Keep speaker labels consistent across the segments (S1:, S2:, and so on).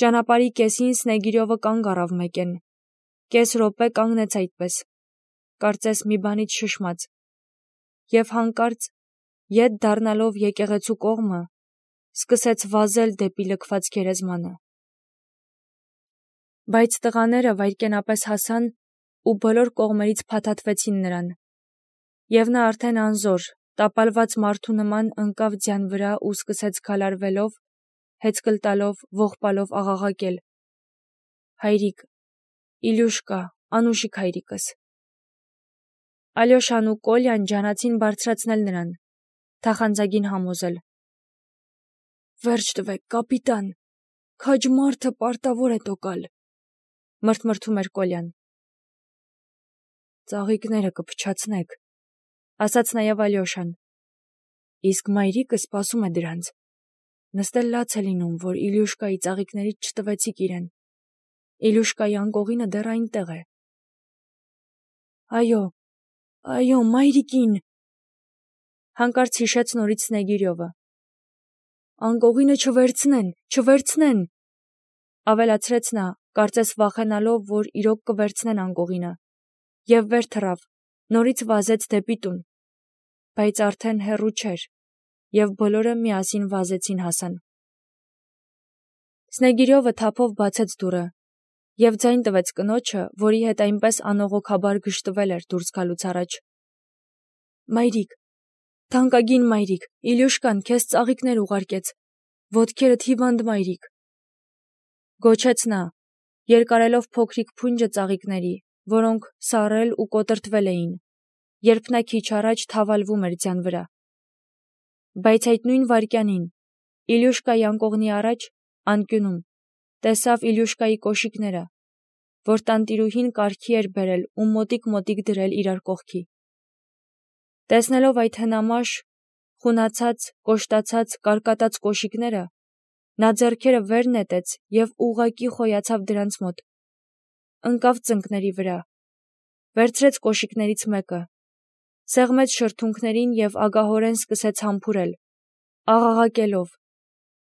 S1: Ճանապարհի կեսին Սնեգիրովը կանգ առավ մեկեն, կես րոպե կանգնեց այդպես, կարծես մի բանից շշմած, և հանկարծ, ետ դառնալով եկեղեցու կողմը, սկսեց վազել դեպի լքված գերեզմանը։ Բայց տղաները վայրկենապես հասան ու բոլոր կողմերից փաթաթվեցին նրան, և նա արդեն անզոր, տապալված մարդու նման ընկավ ձյան վրա ու սկսեց քալարվելով, հեծկլ տալով, ողբալով աղաղակել. «Հայրիկ, Իլյուշկա, անուշիկ հայրիկս»։ Ալյոշան ու Կոլյան ջանացին բարձրացնել նրան, թախանձագին համոզել. «Վերջ տվեք, կապիտան, քաջ մարդը պարտավոր է տոկալ», մրթմրթում էր Կոլյան։ «Ծաղիկները կփչացնեք», ասաց նաև Ալյոշան։ «Իսկ մայրիկը սպասում է դրանց։ Նստել լաց է լինում, որ Իլյուշկայի ծաղիկներից չտվեցիք իրեն։ Իլյուշկայի անկողինը դեռ այնտեղ է»։ Այո, մայրիկին, հանկարծ հիշեց նորից Սնեգիրովը։ «Անկողինը չվերցնեն», ավելացրեց նա, կարծես վախենալով, որ իրոք կվերցնեն անկողինը, և վեր թռավ, նորից վազեց դեպի տուն, բայց արդեն հեռու չէր, և բոլորը միասին վազեցին հասան։ Սնեգիրովը թափով բացեց դուռը և ձայն տվեց կնոջը, որի հետ այնպես անողոքաբար գժտվել էր դուրս գալուց առաջ. «Մայրիկ, թանկագին մայրիկ, Իլյուշկան քեզ ծաղիկներ ուղարկեց, ոտքերդ հիվանդ մայրիկ», գոչեց նա, երկարելով փոքրիկ փունջը ծաղիկների, որոնք սառել ու կոտրտվել էին, երբ նա քիչ առաջ թավալվում էր ձյան վրա։ Բայց այդ նույն վայրկյանին, Իլյուշկայի անկողնի առաջ, անկյունում, տեսավ Իլյուշկայի կոշիկները, որ տանտիրուհին կարգի էր բերել ու մոտիկ դրել իրար կողքի։ Տեսնելով այդ հնամաշ, խունացած, կոշտացած, կարկատած կոշիկները, նա ձեռքերը վեր նետեց և ուղղակի խոյացավ դրանց մոտ, ընկավ ծնկների վրա, վերցրեց կոշիկներից մեկը, սեղմեց շրթունքներին և ագահորեն սկսեց համբուրել, աղաղակելով.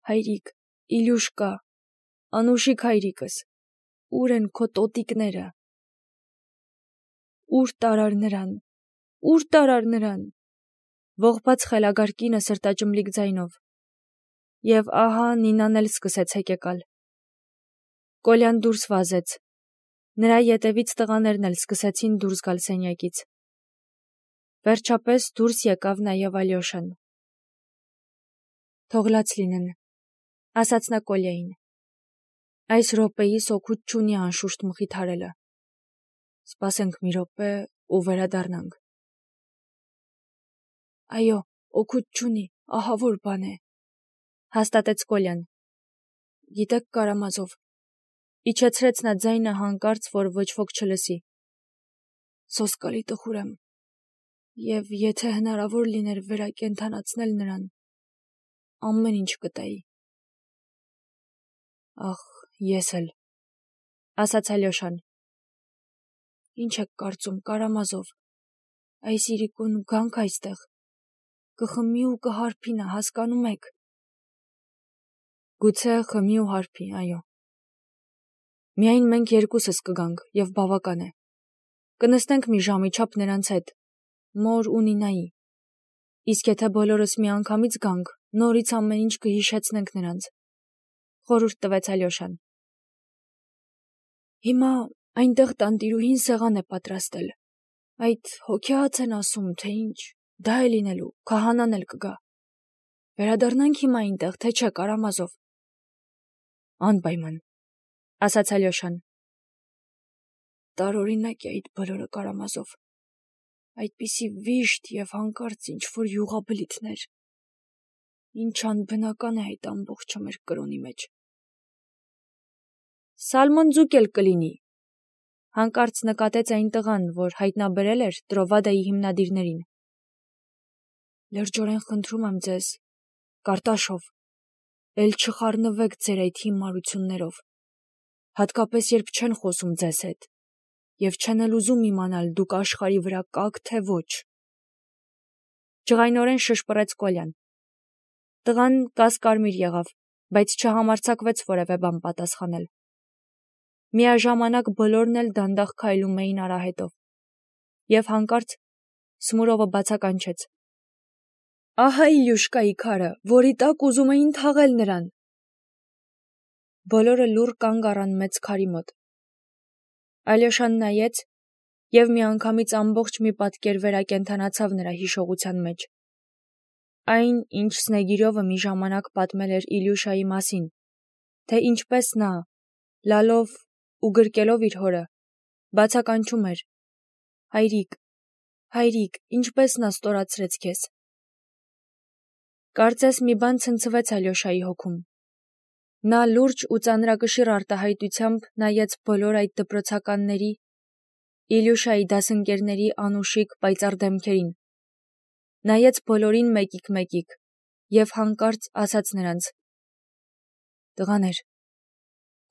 S1: «Հայրիկ, Իլյուշկա, անուշիկ հայրիկս, ուր են քո տոտիկները, ուր տարար նրան», ողբաց խելագար կինը սրտաճմլիկ ձայնով։ Եվ ահա Նինան էլ սկսեց հեկեկալ։ Կոլյան դուրս վազեց, նրա ետևից տղաներն էլ սկսեցին դուրս գալ սենյակից։ Վերջապես դուրս եկավ նաև Ալյոշան։ «Թող լաց լինեն», ասաց նա Կոլյային։ «Այս րոպեիս օգուտ չունի անշուշտ մխիթարելը։ Սպասենք մի րոպե ու վերադառնանք»։ «Այո, օգուտ չունի, ահավոր բան է», հաստատեց Կոլյան։ «Գիտեք, Կարամազով», իջեցրեց նա ձայնը հանկարծ, որ ոչ ոք չլսի, «սոսկալի տխուր եմ, և եթե հնարավոր լիներ վերակենդանացնել նրան, ամեն ինչ կտայի»։ «Ախ, ես էլ», ասաց Ալյոշան։ «Ինչ եք կարծում, Կարամազով, այս իրիկուն գանք այստեղ, կխմի ու կհարբի նա, հասկանում եք»։ «Գուցե խմի ու հարբի, այո։ Միայն մենք երկուսս կգանք, և բավական է։ Կնստենք մի ժամի չափ նրանց հետ, մոր ու Նինայի, իսկ եթե բոլորս միանգամից գանք, նորից ամեն ինչ կհիշեցնենք նրանց», խորհուրդ տվեց Ալյոշան։ «Հիմա այնտեղ տանտիրուհին սեղան է պատրաստել, այդ հոգեհաց են ասում, թե ինչ, դա է լինելու, քահանան էլ կգա։ Վերադառնանք հիմա այնտեղ, թե չէ, Կարամազով»։ «Անպայման», ասաց Ալյոշան։ «Տարօրինակ է այդ բոլորը, Կարամազով, այդպիսի վիշտ և հանկարծ ինչ-որ յուղաբլիթներ, ինչ անբնական է այդ ամբողջը մեր կրոնի մեջ»։ «Սալմոն ձուկ էլ կլինի», հանկարծ նկատեց այն տղան, որ հայտնաբերել էր Տրովադայի հիմնադիրներին։ «Լրջորեն խնդրում եմ ձեզ, Կարտաշով, էլ չխառնվեք ձեր այդ հիմարություններով, հատկապես երբ չեն խոսում ձեզ հետ, և չեն էլ ուզում իմանալ դուք աշխարհի վրա կաք, թե ոչ», ջղայնորեն շշպռեց Կոլյան։ Տղան կասկարմիր եղավ, բայց չհամարձակվեց որևէ բան պատասխանել։ Միաժամանակ բոլորն էլ դանդաղ քայլում էին արահետով, և հանկարծ Սմուրովը բացականչեց. «Ահա Իլյուշկայի քարը, որի տակ ուզում էին թաղել նրան»։ Բոլորը լուռ կանգ առան մեծ քարի մոտ։ Ալյոշան նայեց, և միանգամից ամբողջ մի պատկեր վերակենդանացավ նրա հիշողության մեջ։ Այն, ինչ Սնեգիրովը մի ժամանակ պատմել էր Իլյուշայի մասին, թե ինչպես նա, լալով ու գրկելով իր հորը, բացականչում էր. «Հայրիկ, հայրիկ, ինչպես նա ստորացրեց քեզ»։ Կարծես մի բան ցնցվեց Ալյոշայի հոգում։ Նա լուրջ ու ծանրակշիռ արտահայտությամբ նայեց բոլոր այդ դպրոցականների, Իլյուշայի դասընկերների անուշիկ պայծառ դեմքերին, նայեց բոլորին մեկիկ, և հանկարծ ասաց նրանց. «Տղաներ,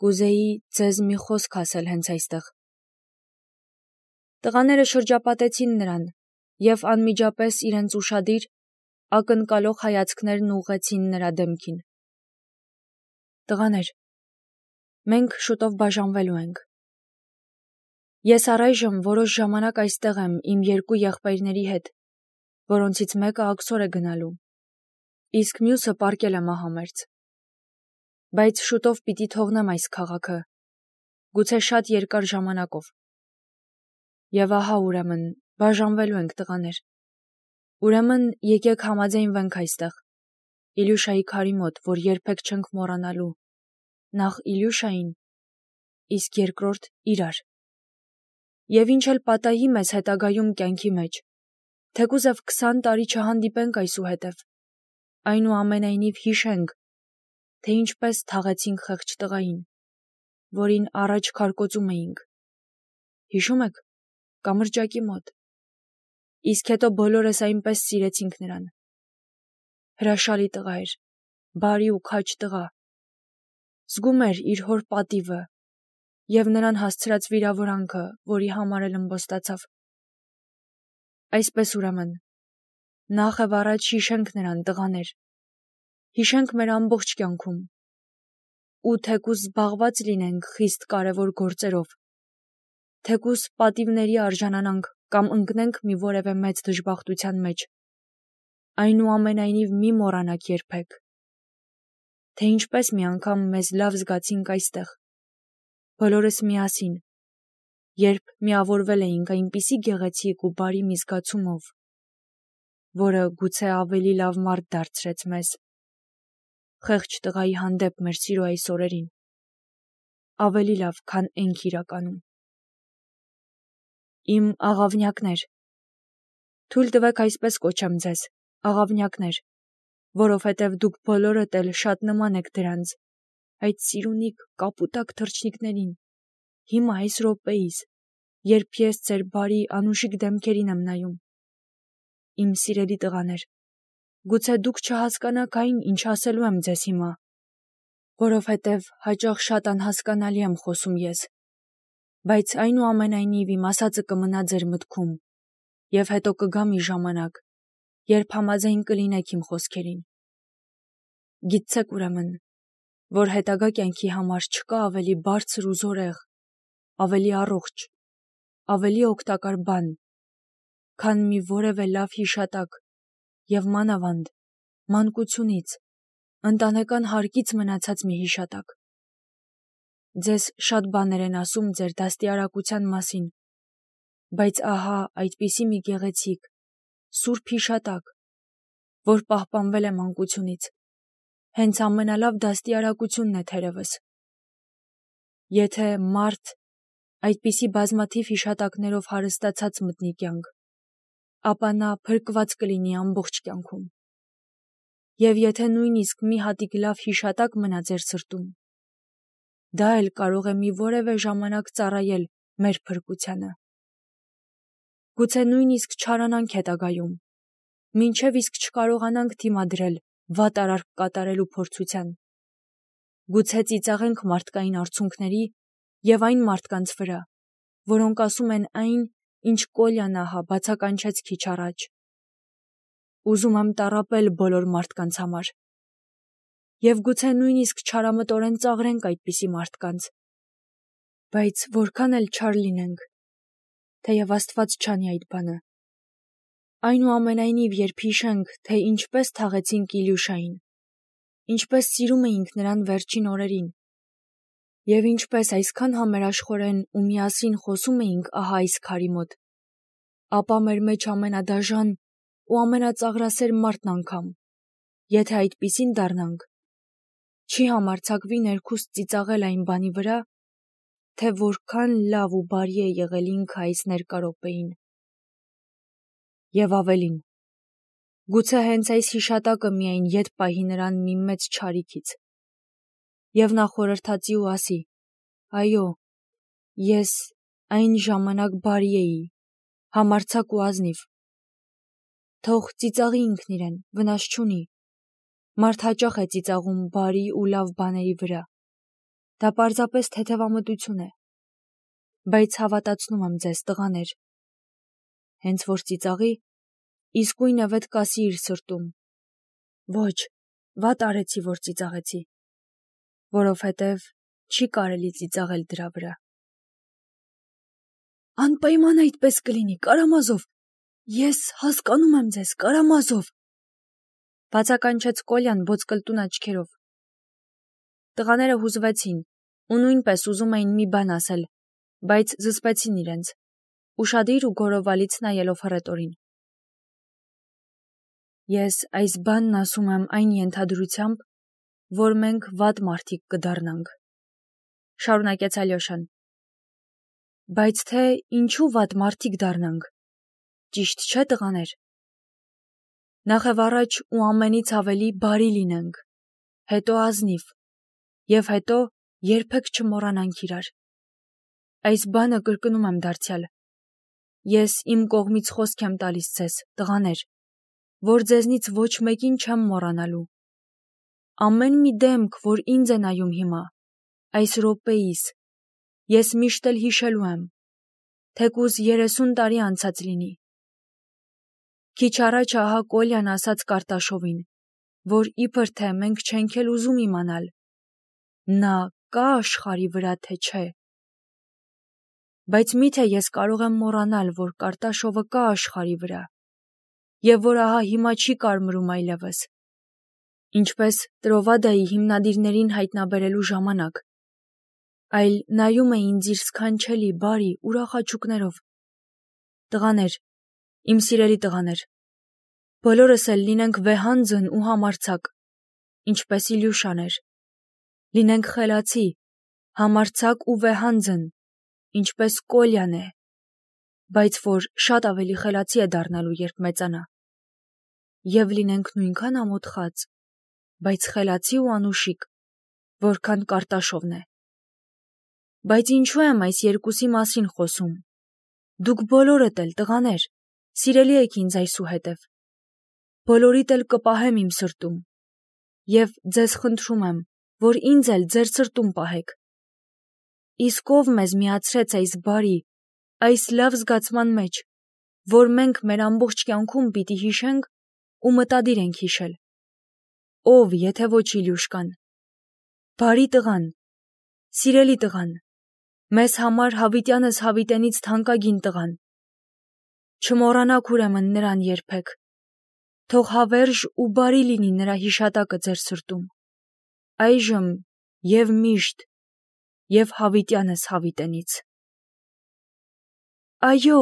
S1: կուզեի ձեզ մի խոսք ասել հենց այստեղ»։ Տղաները շրջապատեցին նրան և անմիջապես իրենց ուշադիր, ակնկալող հայացքներն ուղղեցին նրա դեմքին։ «Տղաներ, մենք շուտով բաժանվելու ենք։ Ես առայժմ որոշ ժամանակ այստեղ եմ իմ երկու եղբայրների հետ, որոնցից մեկը աքսոր է գնալու, իսկ մյուսը պառկել է մահամերձ։ Բայց շուտով պիտի թողնեմ այս քաղաքը, գուցե շատ երկար ժամանակով։ Եվ ահա ուրեմն բաժանվելու ենք, տղաներ։ Ուրեմն եկեք համաձայնվենք այստեղ, Իլյուշայի քարի մոտ, որ երբեք չենք մոռանալու, նախ Իլյուշային, իսկ երկրորդ իրար։ Եվ ինչ էլ պատահի մեզ հետագայում կյանքի մեջ, թեկուզև 20 տարի չհանդիպենք այսուհետև, այնուամենայնիվ հիշենք, թե ինչպես թաղեցինք խեղճ տղային, որին առաջ քարկոծում էինք։ Հիշո՞ւմ եք, կամրջակի մոտ։ Իսկ հետո բոլորս այնպես սիրեցինք նրան։ Հրաշալի տղա էր, բարի ու քաջ տղա։ Զգում էր իր հոր պատիվը և նրան հասցրած վիրավորանքը, որի համար էլ ըմբոստացավ։ Այսպես ուրեմն, նախ և առաջ հիշենք նրան, տղաներ, հիշենք մեր ամբողջ կյանքում, ու թեկուզ զբաղված լինենք խիստ կարևոր գործերով, թեկուզ պատիվների արժանանանք կամ ընկնենք մի որևէ մեծ դժբախտության մեջ, այնուամենայնիվ մի մոռանաք երբեք, թե ինչպես մի անգամ մեզ լավ զգացինք այստեղ, բոլորս միասին, երբ միավորվել էինք այնպիսի գեղեցիկ ու բարի մի զգացումով, որը գուցե ավելի լավ մարդ դարձրեց մեզ, խեղճ տղայի հանդեպ մեր սիրո այս օրերին, ավելի լավ, քան էնք իրականում։ Իմ աղավնյակներ, թույլ տվեք այսպես կոչեմ ձեզ, աղավնյակներ, որովհետև դուք բոլորդ էլ շատ նման եք դրանց, այդ սիրունիկ կապուտակ թռչնիկներին, հիմա այս րոպեիս, երբ ես ձեր բարի անուշիկ դեմքերին եմ նայում։ Իմ սիրելի տղաներ, գուցե դուք չհասկանաք այն, ինչ ասելու եմ ձեզ հիմա, որովհետև հաճախ շատ անհասկանալի եմ խոսում ես, բայց այնուամենայնիվ իմ ասածը կմնա ձեր մտքում, և հետո կգա մի ժամանակ, երբ համաձայն կլինեք իմ խոսքերին։ Գիտցեք ուրեմն, որ հետագա կյանքի համար չկա ավելի բարձր ու զորեղ, ավելի առողջ, ավելի օգտակար բան, քան մի որևէ լավ հիշատակ և մանավանդ մանկությունից, ընտանեկան հարկից մնացած մի հիշատակ։ Ձեզ շատ բաներ են ասում ձեր դաստիարակության մասին, բայց ահա այդպիսի մի գեղեցիկ, սուրբ հիշատակ, որ պահպանվել է մանկությունից, հենց ամենալավ դաստիարակությունն է թերևս։ Եթե մարդ այդպիսի բազմաթիվ հիշատակներով հարստացած մտնի կյանք, ապա նա փրկված կլինի ամբողջ կյանքում։ Եվ եթե նույնիսկ մի հատիկ լավ հիշատակ մնա ձեր սրտում, դա էլ կարող է մի որևէ ժամանակ ծառայել մեր փրկությանը։ Գուցե նույնիսկ չարանանք հետագայում, մինչև իսկ չկարողանանք դիմադրել վատ արարք կատարելու փորձության։ Գուցե ծիծաղենք մարդկային արցունքների և այն մարդկանց վրա, որոնք ասում են այն, ինչ Կոլյան ահա բացականչեց քիչ առաջ։ Ուզում եմ տառապել բոլոր մարդկանց համար, եւ գուցե նույնիսկ չարամտորեն ծաղրենք այդպիսի մարդկանց։ Բայց որքան էլ չար լինենք, թեև Աստված չանի այդ բանը։ Այնուամենայնիվ, երբ հիշենք, թե ինչպես թաղեցինք Իլյուշային, ինչպես սիրում էինք նրան վերջին օրերին, եւ ինչպես այսքան համերաշխորեն ու միասին խոսում էինք ահա այս քարի մոտ, ապա մեր մեջ ամենադաժան ու ամենածաղրասեր մարդն անգամ, եթե այդպիսին դառնանք, չի համարձակվի ներքուստ ծիծաղել այն բանի վրա, թե որքան լավ ու բարի է եղել ինքը այս ներկա րոպեին։ Եվ ավելին, գուցե հենց այս հիշատակը միայն ետ պահի նրան մի մեծ չարիքից, եւ նա խորհրդածի ու ասի. այո, ես այն ժամանակ բարի էի, համարձակ ու ազնիվ։ Թող ծիծաղի ինքն իրեն, վնաս չունի։ Մարդ հաճախ է ծիծաղում բարի ու լավ բաների վրա։ Դա պարզապես թեթևամտություն է։ Բայց հավատացնում եմ ձեզ, տղաներ, հենց որ ծիծաղի, իսկույն վետ կասի իր սրտում. ոչ, վատ արեցի, որ ծիծաղեցի, որովհետև չի կարելի ծիծաղել դրա վրա։ Անպայման այդպես կլինի, Կարամազով, ես հասկանում եմ ձեզ, Կարամազով, բացականչեց Կոլյան ոսկլտուն աչքերով։ Տղաները հուզվեցին ու նույնպես ուզում էին մի բան ասել, բայց զսպեցին իրենց, ուշադիր ու գորովալից նայելով հռետորին։ Ես այս բանն ասում եմ այն ենթադրությամբ, որ մենք վատ մարդիկ կդառնանք, շարունակեց Ալյոշան։ Բայց թե ինչու վատ մարդիկ դառնանք, ճիշտ չէ, տղաներ։ Նախևառաջ ու ամենից ավելի բարի լինենք, հետո ազնիվ, եւ հետո երբեք չմոռանանք իրար։ Այս բանը կրկնում եմ դարձյալ։ Ես իմ կողմից խոսք եմ տալիս ձեզ, տղաներ, որ ձեզնից ոչ մեկին չեմ մոռանալու։ Ամեն մի դեմք, որ ինձ է նայում հիմա, այս րոպեիս, ես միշտ էլ հիշելու եմ, թեկուզ 30 տարի անցած լինի։ Քիչ առաջ ահա Կոլյան ասաց Կարտաշովին, որ իբր թե մենք չենք էլ ուզում իմանալ, նա կա աշխարհի վրա, թե չէ։ Բայց միթե ես կարող եմ մոռանալ, որ Կարտաշովը կա աշխարհի վրա, եւ որ ահա հիմա չի կարմրում այլևս, ինչպես Տրովադայի հիմնադիրներին հայտնաբերելու ժամանակ, այլ նայում է ինձ իր սքանչելի, բարի, ուրախ աչուկներով։ Տղաներ, իմ սիրելի տղաներ, բոլորս էլ լինենք վեհանձն ու համարձակ, ինչպես Իլյուշան էր, լինենք խելացի, համարձակ ու վեհանձն, ինչպես Կոլյան է, բայց որ շատ ավելի խելացի է դառնալու, երբ մեծանա, եւ լինենք նույնքան ամոթխած, բայց խելացի ու անուշիկ, որքան Կարտաշովն է։ Բայց ինչու եմ այս երկուսի մասին խոսում։ Դուք բոլորդ էլ, տղաներ, սիրելի եք ինձ այսուհետև։ Բոլորիդ էլ կպահեմ իմ սրտում, եւ ձեզ խնդրում եմ, որ ինձ էլ ձեր սրտում պահեք։ Իսկ ով մեզ միացրեց այս բարի, այս լավ զգացման մեջ, որ մենք մեր ամբողջ կյանքում պիտի հիշենք ու մտադիր ենք հիշել։ Ով, եթե ոչ Իլյուշկան։ Բարի տղան, սիրելի տղան, մեզ համար հավիտյանս հավիտենից թանկագին տղան։ Չմոռանաք ուրեմն նրան երբեք։ Թող հավերժ ու բարի լինի նրա հիշատակը ձեր սրտում։ Այժմ եւ միշտ եւ հավիտյանս հավիտենից։ Այո,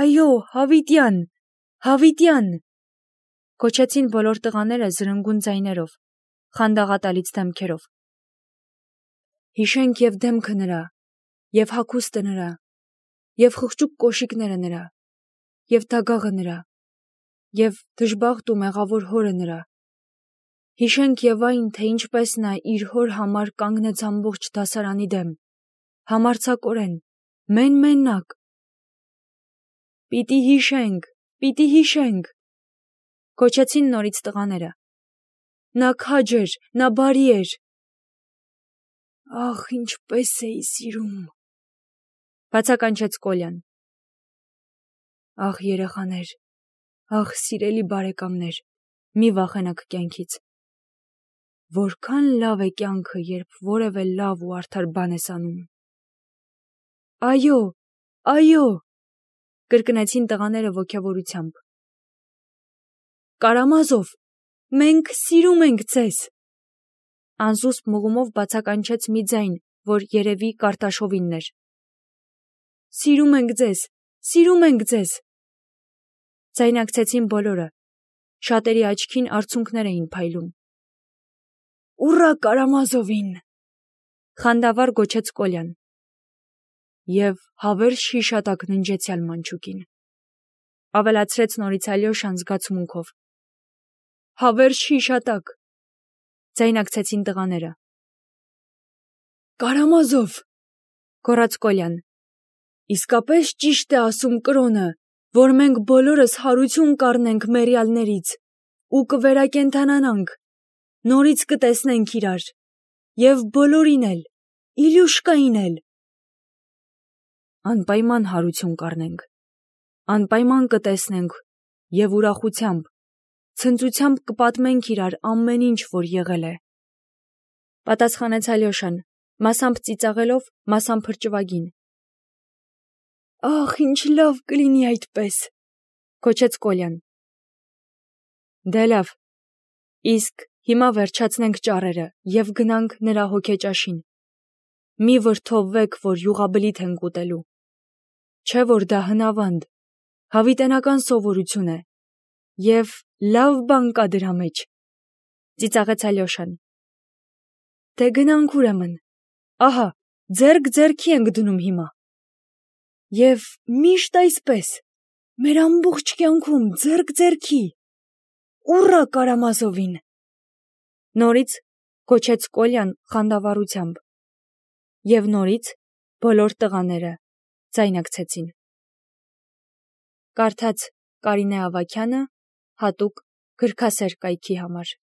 S1: այո, հավիտյան, հավիտյան, կոչեցին բոլոր տղաները զրնգուն ձայներով, խանդաղատալից դեմքերով։ Հիշենք եւ դեմքը նրա, եւ հագուստը նրա, եւ խղճուկ կոշիկները նրա, եւ դագաղը նրա, եւ դժբախտ ու մեղավոր հորը նրա։ Հիշենք եւ այն, թե ինչպես նա իր հոր համար կանգնեց ամբողջ դասարանի դեմ, համարձակորեն, մենակ։ Պիտի հիշենք, կոչեցին նորից տղաները։ Նա քաջ էր, նա բարի էր։ Ախ, ինչպես էի սիրում, բացականչեց Կոլյան։ Ախ, երեխաներ, ախ, սիրելի բարեկամներ, մի վախենաք կյանքից։ Որքան լավ է կյանքը, երբ որևէ լավ ու արդար բան ես անում։ Այո, այո, կրկնեցին տղաները ոգևորությամբ։ Կարամազով, մենք սիրում ենք ձեզ։ Անզուսպ մղումով բացականչեց մի ձայն, որ երևի Կարտաշովինն էր։ Սիրում ենք ձեզ, սիրում ենք ձեզ։ Ձայնակցեցին բոլորը։ Շատերի աչքին արցունքներ էին փայլում։ Ուռա Կարամազովին, խանդավառ գոչեց Կոլյան։ Եվ հավերժ հիշատակ ննջեցյալ մանչուկին, ավելացրեց նորից Ալյոշան զգացմունքով։ Հավերժ հիշատակ, ձայնակցեցին տղաները։ Կարամազով, գոռաց Կոլյան, իսկապես ճիշտ է ասում կրոնը, որ մենք բոլորս հարություն կառնենք մեռյալներից ու կվերակենդանանանք, նորից կտեսնենք իրար, և բոլորին էլ, Իլյուշկային էլ։ Անպայման հարություն կառնենք, անպայման կտեսնենք և ուրախությամբ, ցնծությամբ կպատմենք իրար ամեն ինչ, որ եղել է, պատասխանեց Ալյոշան, մասամբ ծիծաղելով, մասամբ հրճվագին։ Ախ, ինչ լավ կլինի այդպես, գոչեց Կոլյան։ Դե լավ, իսկ հիմա վերջացնենք ճառերը և գնանք նրա հոգեճաշին։ Մի վրդովվեք, որ յուղաբլիթ ենք ուտելու։ Չէ՞ որ դա հնավանդ, հավիտենական սովորություն է, և լավ բան կա դրա մեջ, ծիծաղեց Ալյոշան։ Դե գնանք ուրեմն, ահա, ձեռք ձեռքի ենք դնում հիմա։ Եվ միշտ այսպես, մեր ամբողջ կյանքում ձեռք ձեռքի, ուռա Կարամազովին, նորից գոչեց Կոլյան խանդավառությամբ։ Եվ նորից բոլոր տղաները ձայնակցեցին։ Կարդաց Կարինե Ավագյանը հատուկ գրքասեր կայքի համար։